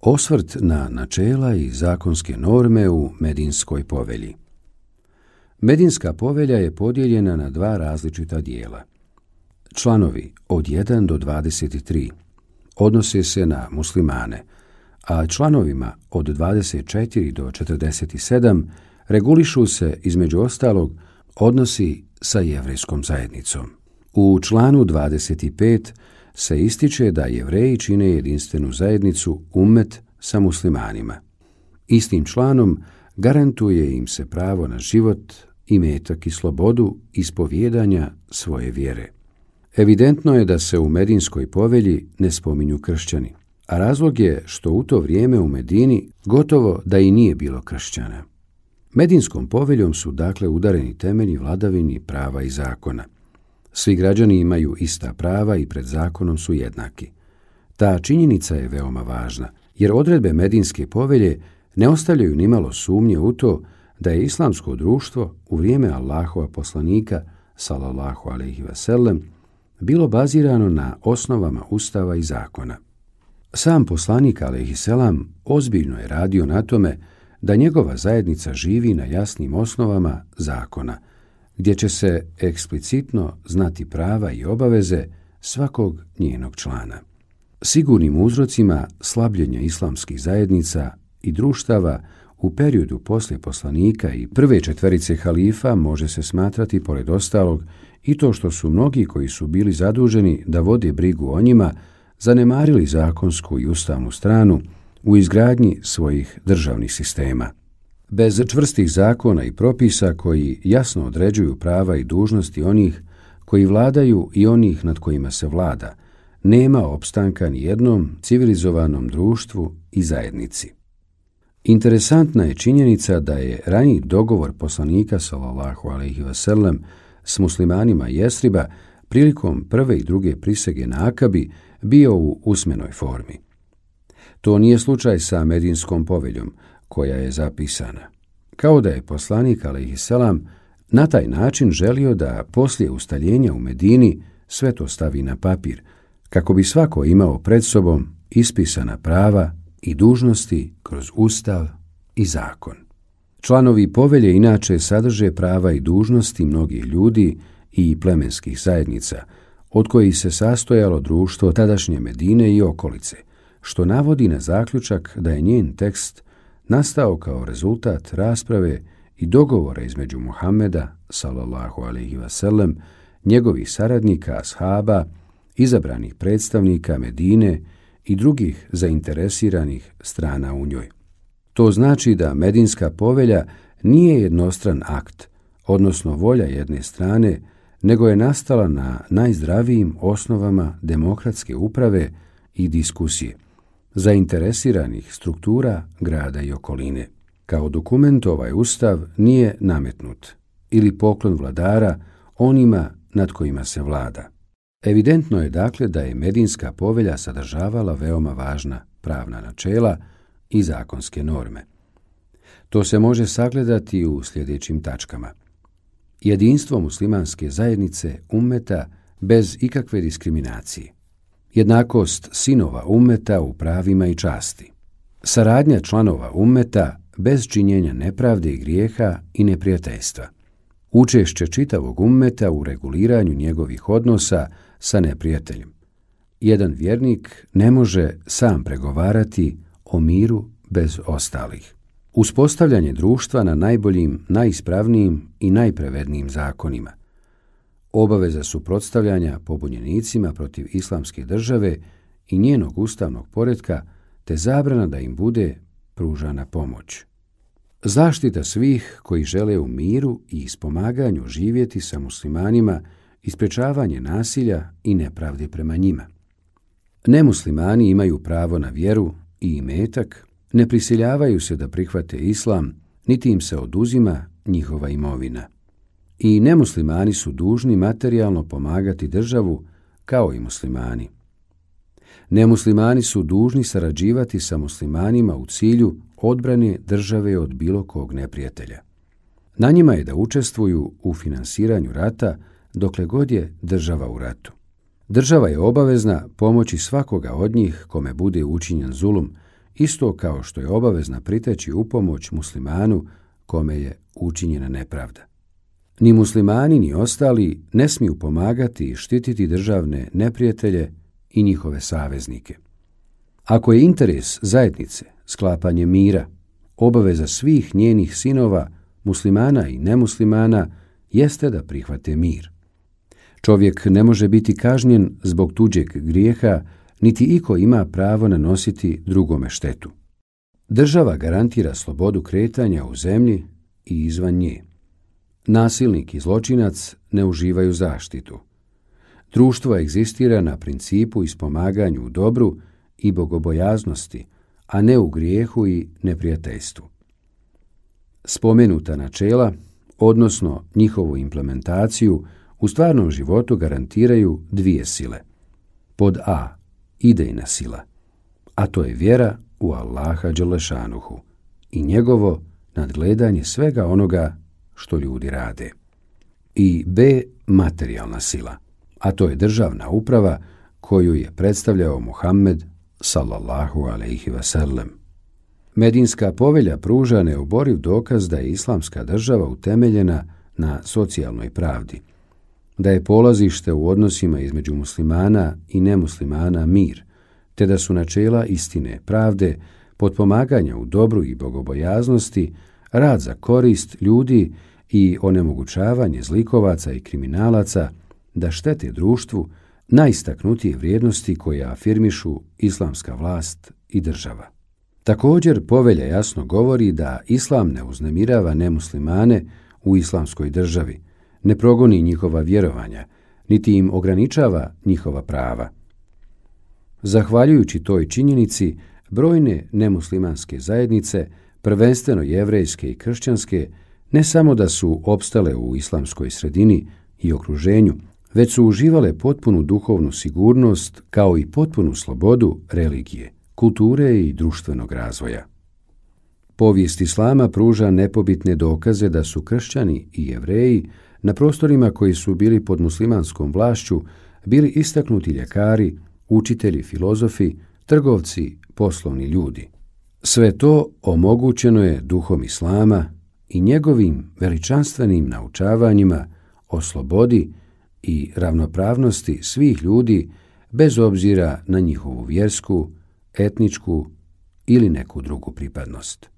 Osvrt na načela i zakonske norme u Medinskoj povelji. Medinska povelja je podijeljena na dva različita dijela. Članovi od 1 do 23 odnose se na muslimane, a članovima od 24 do 47 regulišu se, između ostalog, odnosi sa jevrejskom zajednicom. U članu 25 se ističe da Jevreji čine jedinstvenu zajednicu ummet sa muslimanima. Istim članom garantuje im se pravo na život, imetak i slobodu ispovijedanja svoje vjere. Evidentno je da se u Medinskoj povelji ne spominju kršćani, a razlog je što u to vrijeme u Medini gotovo da i nije bilo kršćana. Medinskom poveljom su dakle udareni temelji vladavini prava i zakona. Svi građani imaju ista prava i pred zakonom su jednaki. Ta činjenica je veoma važna, jer odredbe Medinske povelje ne ostavljaju nimalo sumnje u to da je islamsko društvo u vrijeme Allahova poslanika, sallallahu alejhi ve sellem, bilo bazirano na osnovama ustava i zakona. Sam poslanik alejhi selam ozbiljno je radio na tome da njegova zajednica živi na jasnim osnovama zakona, gdje će se eksplicitno znati prava i obaveze svakog njenog člana. Sigurnim uzrocima slabljenja islamskih zajednica i društava u periodu poslije poslanika i prve četverice halifa može se smatrati, pored ostalog, i to što su mnogi koji su bili zaduženi da vode brigu o njima zanemarili zakonsku i ustavnu stranu u izgradnji svojih državnih sistema. Bez čvrstih zakona i propisa koji jasno određuju prava i dužnosti onih koji vladaju i onih nad kojima se vlada, nema opstanka ni jednom civilizovanom društvu i zajednici. Interesantna je činjenica da je raniji dogovor poslanika sallallahu alejhi ve sellem s muslimanima Jesriba prilikom prve i druge prisege na Akabi bio u usmenoj formi. To nije slučaj sa Medinskom poveljom, koja je zapisana. Kao da je poslanik alejhi selam na taj način želio da poslije ustaljenja u Medini sve to stavi na papir, kako bi svako imao pred sobom ispisana prava i dužnosti kroz ustav i zakon. Članovi povelje inače sadrže prava i dužnosti mnogih ljudi i plemenskih zajednica, od kojih se sastojalo društvo tadašnje Medine i okolice, što navodi na zaključak da je njen tekst nastao kao rezultat rasprave i dogovora između Muhameda, sallallahu alejhi ve sellem, njegovih saradnika, ashaba, izabranih predstavnika Medine i drugih zainteresiranih strana u njoj. To znači da Medinska povelja nije jednostran akt, odnosno volja jedne strane, nego je nastala na najzdravijim osnovama demokratske uprave i diskusije, zainteresiranih struktura grada i okoline. Kao dokument ovaj ustav nije nametnut ili poklon vladara onima nad kojima se vlada. Evidentno je dakle da je Medinska povelja sadržavala veoma važna pravna načela i zakonske norme. To se može sagledati u sljedećim tačkama. Jedinstvo muslimanske zajednice ummeta bez ikakve diskriminacije. Jednakost sinova ummeta u pravima i časti. Saradnja članova ummeta bez činjenja nepravde i grijeha i neprijateljstva. Učešće čitavog ummeta u reguliranju njegovih odnosa sa neprijateljem. Jedan vjernik ne može sam pregovarati o miru bez ostalih. Uspostavljanje društva na najboljim, najispravnijim i najpravednijim zakonima. Obaveza suprotstavljanja pobunjenicima protiv islamske države i njenog ustavnog poretka, te zabrana da im bude pružana pomoć. Zaštita svih koji žele u miru i ispomaganju živjeti sa muslimanima i sprečavanje nasilja i nepravde prema njima. Nemuslimani imaju pravo na vjeru i imetak, ne prisiljavaju se da prihvate islam, niti im se oduzima njihova imovina. I nemuslimani su dužni materijalno pomagati državu kao i muslimani. Nemuslimani su dužni sarađivati sa muslimanima u cilju odbrane države od bilo kog neprijatelja. Na njima je da učestvuju u finansiranju rata dokle god je država u ratu. Država je obavezna pomoći svakoga od njih kome bude učinjen zulum isto kao što je obavezna priteći u pomoć muslimanu kome je učinjena nepravda. Ni muslimani ni ostali ne smiju pomagati i štititi državne neprijatelje i njihove saveznike. Ako je interes zajednice sklapanje mira, obaveza svih njenih sinova, muslimana i nemuslimana, jeste da prihvate mir. Čovjek ne može biti kažnjen zbog tuđeg grijeha, niti iko ima pravo nanositi drugome štetu. Država garantira slobodu kretanja u zemlji i izvan nje. Nasilnik i zločinac ne uživaju zaštitu. Društvo egzistira na principu ispomaganju u dobru i bogobojaznosti, a ne u grijehu i neprijateljstvu. Spomenuta načela, odnosno njihovu implementaciju, u stvarnom životu garantiraju dvije sile. Pod A, idejna sila, a to je vjera u Allaha dželešanuhu i njegovo nadgledanje svega onoga što ljudi rade. I B, materijalna sila, a to je državna uprava koju je predstavljao Muhammed sallallahu alejhi ve sellem. Medinska povelja pruža neoboriv dokaz da je islamska država utemeljena na socijalnoj pravdi, da je polazište u odnosima između muslimana i nemuslimana mir, te da su načela istine, pravde, potpomaganja u dobru i bogobojaznosti, rad za korist ljudi i onemogućavanje zlikovaca i kriminalaca da štete društvu najistaknutije vrijednosti koje afirmišu islamska vlast i država. Također, povelja jasno govori da islam ne uznemirava nemuslimane u islamskoj državi, ne progoni njihova vjerovanja, niti im ograničava njihova prava. Zahvaljujući toj činjenici, brojne nemuslimanske zajednice, prvenstveno jevrejske i kršćanske, ne samo da su opstale u islamskoj sredini i okruženju, već su uživale potpunu duhovnu sigurnost kao i potpunu slobodu religije, kulture i društvenog razvoja. Povijest islama pruža nepobitne dokaze da su kršćani i jevreji na prostorima koji su bili pod muslimanskom vlašću bili istaknuti ljekari, učitelji, filozofi, trgovci, poslovni ljudi. Sve to omogućeno je duhom islama i njegovim veličanstvenim naučavanjima o slobodi i ravnopravnosti svih ljudi bez obzira na njihovu vjersku, etničku ili neku drugu pripadnost.